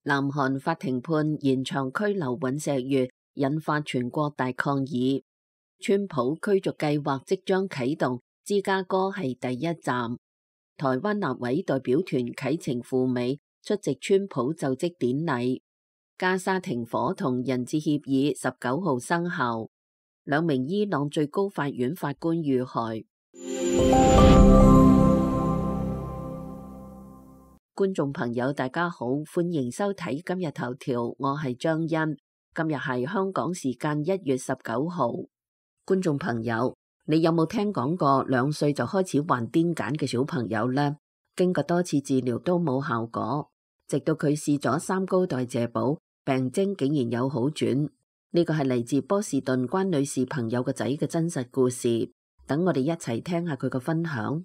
南韓法庭判延長拘留尹錫悅，引發全國大抗議。川普驅逐計劃即將啟動，芝加哥係第一站。台灣立委代表團啟程赴美出席川普就職典禮。加沙停火同人質協議19號生效。2名伊朗最高法院法官遇害。觀眾朋友大家好，歡迎收睇今日頭條，我係張欣。今日係香港時間1月19號。觀眾朋友，你有冇聽講過2歲就開始患癲癇嘅小朋友呢？經過多次治療都冇效果，直到佢試咗3高代謝寶，病徵竟然有好轉。呢個係嚟自波士頓關女士朋友個仔嘅真實故事。等我哋一齊聽下佢嘅分享。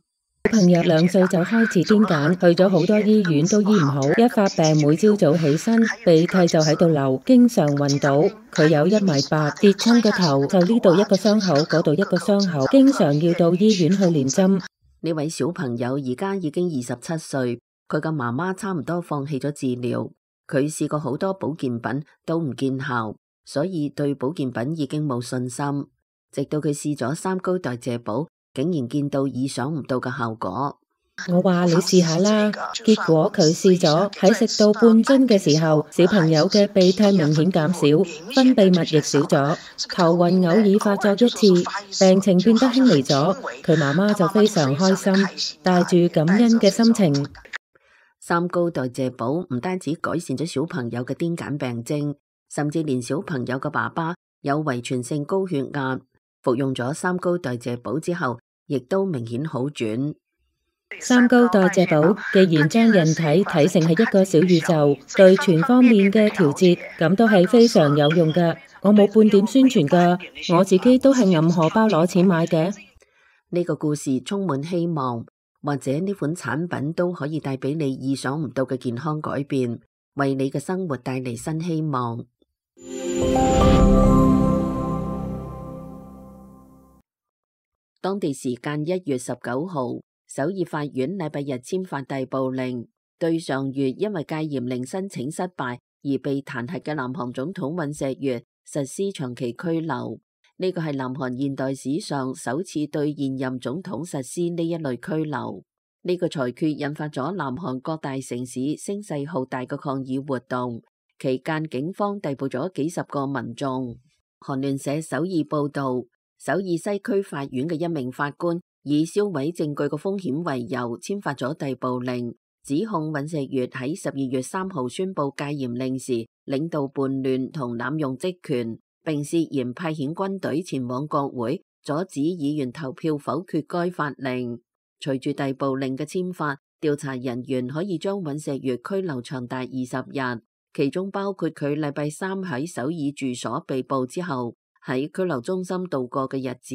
小朋友2歲就開始癲癇，去咗好多醫院都醫唔好，一發病每朝早起身鼻涕就喺度流，經常暈倒。佢有1.8米，跌親個頭就呢度一個傷口，嗰度一個傷口，經常要到醫院去連針。呢位小朋友而家已經27歲，佢嘅媽媽差唔多放棄咗治療，佢試過好多保健品都唔見效，所以對保健品已經冇信心。直到佢試咗3高代謝寶，竟然見到意想唔到嘅效果。我話你試下啦，結果佢試咗，喺食到半樽嘅時候，小朋友嘅鼻涕明顯減少，分泌物亦少咗，頭暈偶爾發作一次，病情變得輕微咗。佢媽媽就非常開心，帶住感恩嘅心情。3高代謝寶唔單止改善咗小朋友嘅癲癇病徵，甚至連小朋友嘅爸爸有遺傳性高血壓，服用咗3高代謝寶之後，亦都明顯好轉。3高代謝寶既然將人體睇成係一個小宇宙，對全方面嘅調節，咁都係非常有用㗎。我冇半點宣傳㗎，我自己都係揞荷包攞錢買嘅。呢個故事充滿希望，或者呢款產品都可以帶俾你意想唔到嘅健康改變，為你嘅生活帶嚟新希望。當地時間1月19號，首爾法院禮拜日簽發逮捕令，對上月因為戒嚴令申請失敗而被彈劾嘅南韓總統尹錫悅實施長期拘留。呢個係南韓現代史上首次對現任總統實施呢一類拘留。呢個裁決引發咗南韓各大城市聲勢浩大嘅抗議活動，期間警方逮捕咗幾十個民眾。韓聯社首爾報道，首爾西區法院嘅1名法官以銷毀證據嘅風險為由，簽發咗逮捕令，指控尹錫悅喺12月3號宣布戒嚴令時領導叛亂同濫用職權，並涉嫌派遣軍隊前往國會，阻止議員投票否決該法令。隨住逮捕令嘅簽發，調查人員可以將尹錫悅拘留長達20日，其中包括佢禮拜3喺首爾住所被捕之後喺拘留中心度過嘅日子。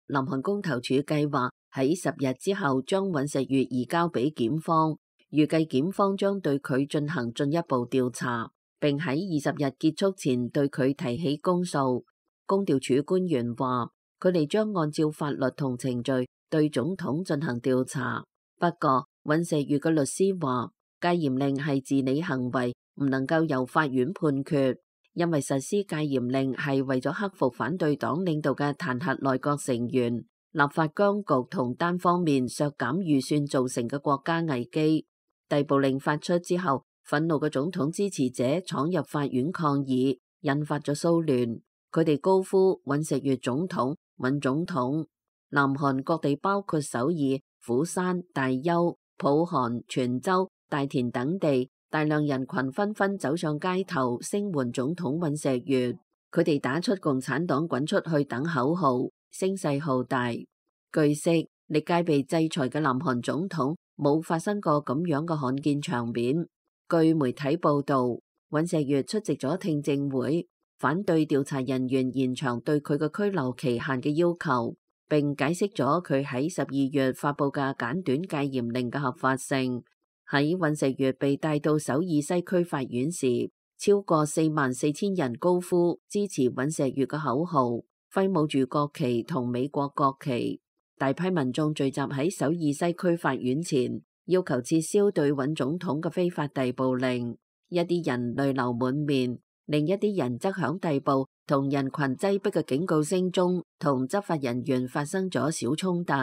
南韓公投處計劃喺10日之後將尹錫悅移交俾檢方，預計檢方將對佢進行進一步調查，並喺20日結束前對佢提起公訴。公調處官員話，佢哋將按照法律同程序對總統進行調查。不過，尹錫悅嘅律師話，戒嚴令係治理行為，唔能夠由法院判決。因為實施戒嚴令係為咗克服反對黨領導嘅彈劾內閣成員、立法僵局同單方面削減預算造成嘅國家危機。逮捕令發出之後，憤怒嘅總統支持者闖入法院抗議，引發咗騷亂。佢哋高呼尹錫悅總統、尹總統。南韓各地包括首爾、釜山、大邱、浦項、全州、大田等地，大量人群紛紛走上街頭聲援總統尹錫悅，佢哋打出共產黨滾出去等口號，聲勢浩大。據悉，歷屆被制裁嘅南韓總統冇發生過咁樣嘅罕見場面。據媒體報道，尹錫悅出席咗聽證會，反對調查人員延長對佢嘅拘留期限嘅要求，並解釋咗佢喺12月發佈嘅簡短戒嚴令嘅合法性。喺尹錫悅被帶到首爾西區法院時，超過44000人高呼支持尹錫悅嘅口號，揮舞住國旗同美國國旗。大批民眾聚集喺首爾西區法院前，要求撤銷對尹總統嘅非法逮捕令。一啲人淚流滿面，另一啲人則響逮捕同人群擠迫嘅警告聲中，同執法人員發生咗小衝突。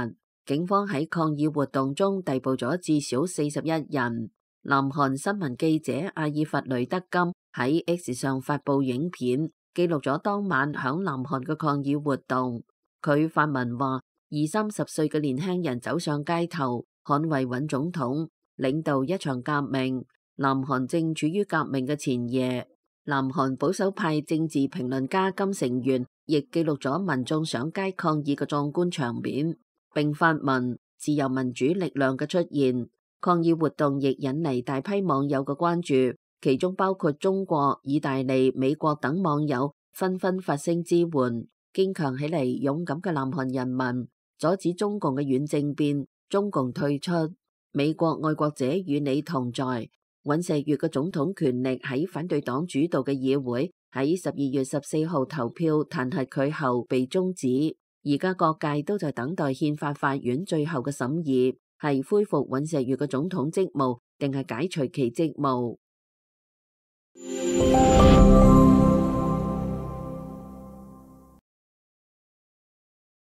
警方喺抗議活動中逮捕咗至少41人。南韓新聞記者阿爾弗雷德金喺 X 上發佈影片，記錄咗當晚響南韓嘅抗議活動。佢發文話，20-30歲嘅年輕人走上街頭，捍衛尹總統，領導一場革命。南韓正處於革命嘅前夜。南韓保守派政治評論家金成元亦記錄咗民眾上街抗議嘅壯觀場面，並發文自由民主力量嘅出現。抗議活動亦引嚟大批網友嘅關注，其中包括中國、意大利、美國等網友紛紛發聲支援，堅強起嚟勇敢嘅南韓人民，阻止中共嘅軟政變，中共退出。美國愛國者與你同在。尹錫悅嘅總統權力喺反對黨主導嘅議會喺12月14號投票彈劾佢後被終止，而家各界都在等待憲法法院最後嘅審議，係恢復尹錫悅嘅總統職務，定係解除其職務。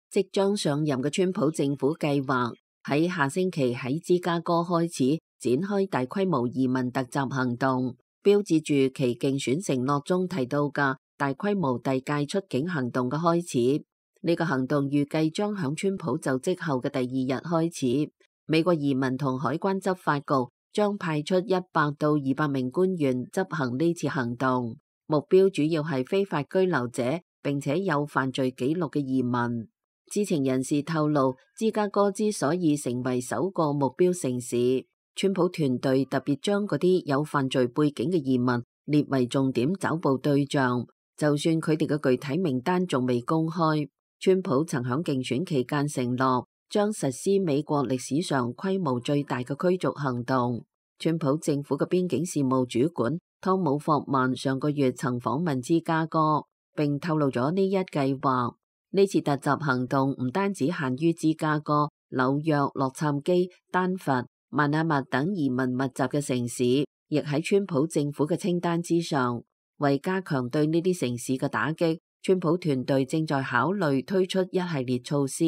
即將上任嘅川普政府計劃喺下星期喺芝加哥開始展開大規模移民突襲行動，標誌住其競選承諾中提到嘅大規模遞解出境行動嘅開始。呢個行動預計將響川普就職後嘅第2日開始。美國移民同海關執法局將派出100到200名官員執行呢次行動，目標主要係非法居留者並且有犯罪記錄嘅移民。知情人士透露，芝加哥之所以成為首個目標城市，川普團隊特別將嗰啲有犯罪背景嘅移民列為重點抓捕對象，就算佢哋嘅具體名單仲未公開。川普曾響競選期間承諾將實施美國歷史上規模最大嘅驅逐行動。川普政府嘅邊境事務主管湯姆霍曼上個月曾訪問芝加哥，並透露咗呢一計劃。呢次突襲行動唔單止限於芝加哥、紐約、洛杉磯、丹佛、邁阿密等移民密集嘅城市，亦喺川普政府嘅清單之上。為加強對呢啲城市嘅打擊，川普團隊正在考慮推出一系列措施，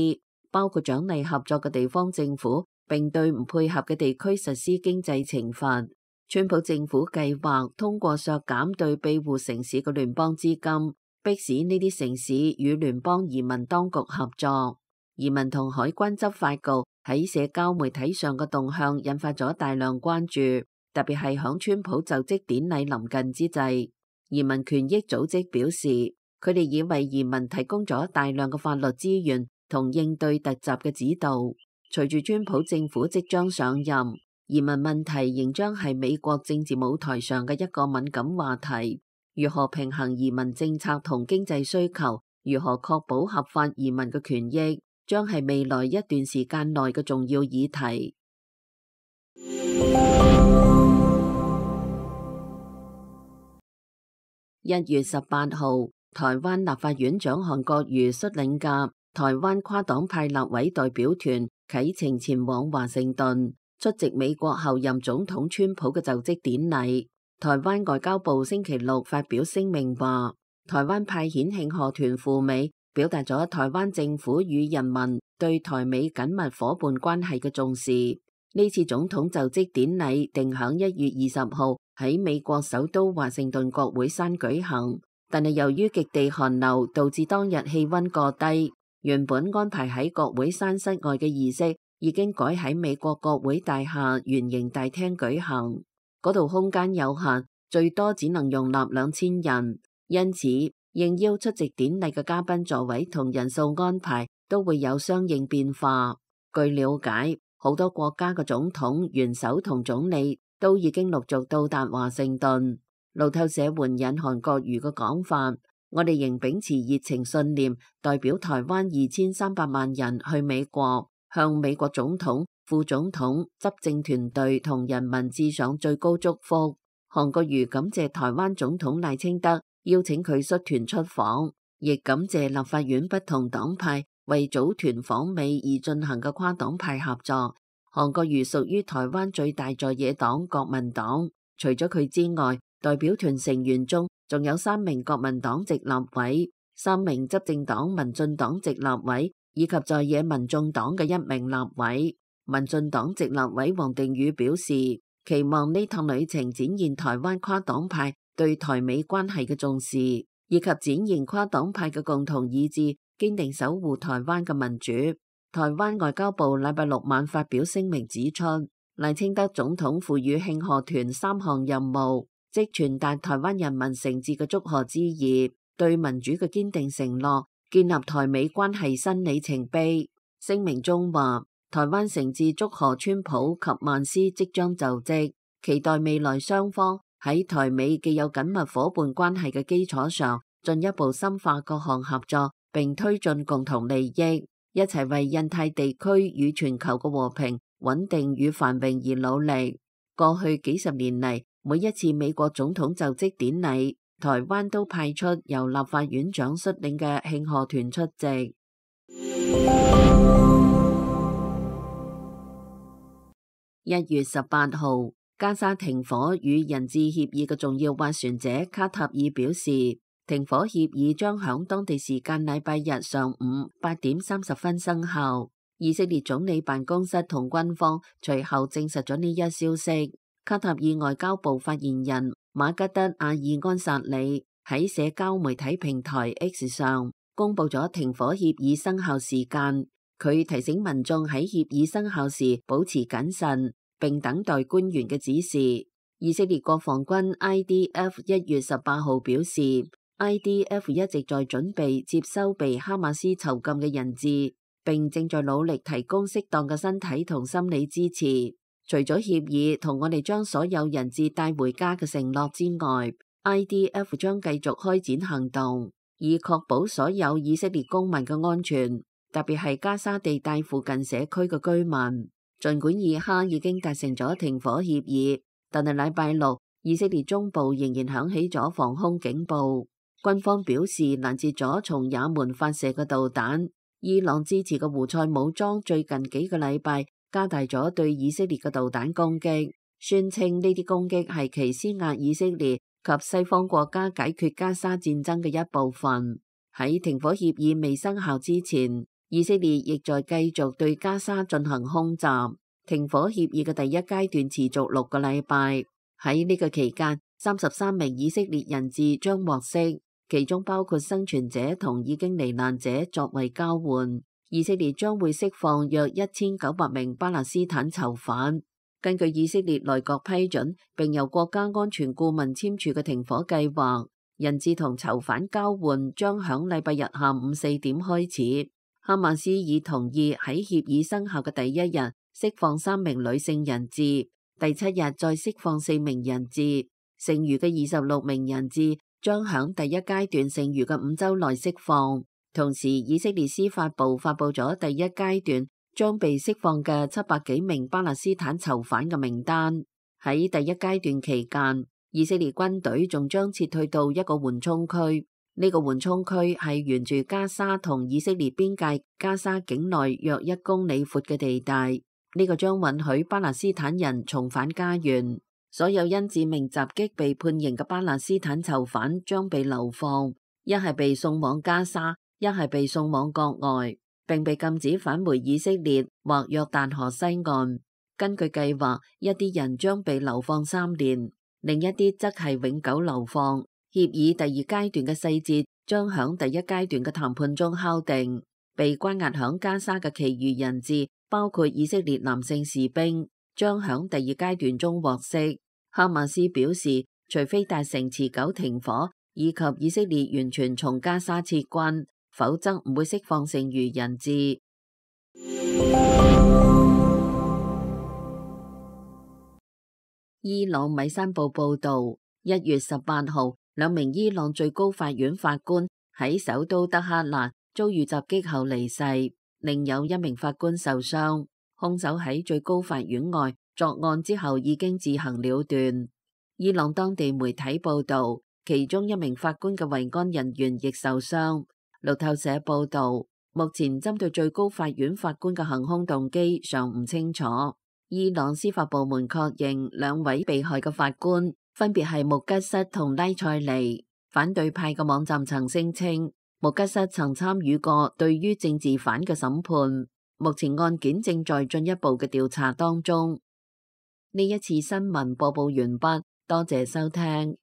包括獎勵合作嘅地方政府，並對唔配合嘅地區實施經濟懲罰。川普政府計劃通過削減對庇護城市嘅聯邦資金，迫使呢啲城市與聯邦移民當局合作。移民同海關執法局喺社交媒體上嘅動向引發咗大量關注，特別係響川普就職典禮臨近之際。移民權益組織表示，佢哋已為移民提供咗大量嘅法律資源同應對突襲嘅指導。隨住川普政府即將上任，移民問題仍將係美國政治舞台上嘅一個敏感話題。如何平衡移民政策同經濟需求，如何確保合法移民嘅權益，將係未來一段時間內嘅重要議題。1月18號，台灣立法院長韓國瑜率領嘅台灣跨黨派立委代表團啟程前往華盛頓，出席美國後任總統川普嘅就職典禮。台灣外交部星期六發表聲明話，台灣派遣慶賀團赴美，表達咗台灣政府與人民對台美緊密夥伴關係嘅重視。呢次總統就職典禮定響1月20號喺美國首都華盛頓國會山舉行，但係由於極地寒流導致當日氣溫過低，原本安排喺國會山室外嘅儀式已經改喺美國國會大廈圓形大廳舉行。嗰度空間有限，最多只能容納2000人，因此應邀出席典禮嘅嘉賓座位同人數安排都會有相應變化。據了解，好多國家嘅總統、元首同總理都已經陸續到達華盛頓。路透社援引韓國瑜嘅講法，我哋仍秉持熱情信念，代表台灣2300萬人去美國，向美國總統、副總統、執政團隊同人民致上最高祝福。韓國瑜感謝台灣總統賴清德邀請佢率團出訪，亦感謝立法院不同黨派為組團訪美而進行嘅跨黨派合作。韓國瑜屬於台灣最大在野黨國民黨，除咗佢之外，代表團成員中仲有3名國民黨籍立委、3名執政黨民進黨籍立委，以及在野民眾黨嘅1名立委。民進黨籍立委王定宇表示，期望呢趟旅程展現台灣跨黨派對台美關係嘅重視，以及展現跨黨派嘅共同意志，堅定守護台灣嘅民主。台灣外交部禮拜6晚發表聲明指出，賴清德總統賦予慶賀團3項任務，即傳達台灣人民誠摯嘅祝賀之意，對民主嘅堅定承諾，建立台美關係新里程碑。聲明中話，台灣誠摯祝賀川普及曼斯即將就職，期待未來雙方喺台美既有緊密夥伴關係嘅基礎上，進一步深化各項合作，並推進共同利益，一齊為印太地區與全球嘅和平、穩定與繁榮而努力。過去幾十年嚟，每一次美國總統就職典禮，台灣都派出由立法院長率領嘅慶賀團出席。1月18號，加沙停火與人質協議嘅重要斡旋者卡塔爾表示，停火協議將響當地時間禮拜日上午8點30分生效。以色列總理辦公室同軍方隨後證實咗呢一消息。卡塔爾外交部發言人馬吉德阿爾安薩里喺社交媒體平台 X 上公布咗停火協議生效時間。佢提醒民眾喺協議生效時保持謹慎，並等待官員嘅指示。以色列國防軍 IDF 1月18號表示， IDF 一直在準備接收被哈馬斯囚禁嘅人質，並正在努力提供適當嘅身體同心理支持。除咗協議同我哋將所有人質帶回家嘅承諾之外， IDF 將繼續開展行動，以確保所有以色列公民嘅安全，特別係加沙地帶附近社區嘅居民。儘管以哈已經達成咗停火協議，但係禮拜6，以色列中部仍然響起咗防空警報。軍方表示攔截咗從也門發射嘅導彈。伊朗支持嘅胡塞武裝最近幾個禮拜加大咗對以色列嘅導彈攻擊，宣稱呢啲攻擊係其施壓以色列及西方國家解決加沙戰爭嘅一部分。喺停火協議未生效之前，以色列亦在繼續對加沙進行空襲。停火協議嘅第一階段持續6個禮拜。喺呢個期間，33名以色列人質將獲釋，其中包括生存者同已經罹難者作為交換。以色列將會釋放約1900名巴勒斯坦囚犯。根據以色列內閣批准並由國家安全顧問簽署嘅停火計劃，人質同囚犯交換將響禮拜日下午4點開始。哈馬斯已同意喺協議生效嘅第一日釋放3名女性人質，第7日再釋放4名人質，剩餘嘅26名人質將響第一階段剩餘嘅5週內釋放。同時，以色列司法部發布咗第一階段將被釋放嘅700幾名巴勒斯坦囚犯嘅名單。喺第一階段期間，以色列軍隊仲將撤退到一個緩衝區。呢個緩衝區係沿住加沙同以色列邊界加沙境內約1公里闊嘅地帶。呢個將允許巴勒斯坦人重返家園。所有因致命襲擊被判刑嘅巴勒斯坦囚犯將被流放，一係被送往加沙，一係被送往國外，並被禁止返回以色列或約旦河西岸。根據計劃，一啲人將被流放3年，另一啲則係永久流放。協議第二階段嘅細節將響第一階段嘅談判中敲定。被關押響加沙嘅其餘人質，包括以色列男性士兵，將響第二階段中獲釋。哈馬斯表示，除非達成持久停火，以及以色列完全從加沙撤軍，否則唔會釋放剩餘人質。伊朗米山報報導，1月18號，2名伊朗最高法院法官喺首都德黑蘭遭遇襲擊後離世，另有1名法官受傷。兇手喺最高法院外作案之後已經自行了斷。伊朗當地媒體報導，其中1名法官嘅維安人員亦受傷。路透社報導，目前針對最高法院法官嘅行兇動機尚唔清楚。伊朗司法部門確認兩位被害嘅法官分別係穆吉瑟同拉塞尼。反對派嘅網站曾聲稱，穆吉瑟曾參與過對於政治犯嘅審判。目前案件正在進一步嘅調查當中。呢一次新聞播報完畢，多謝收聽。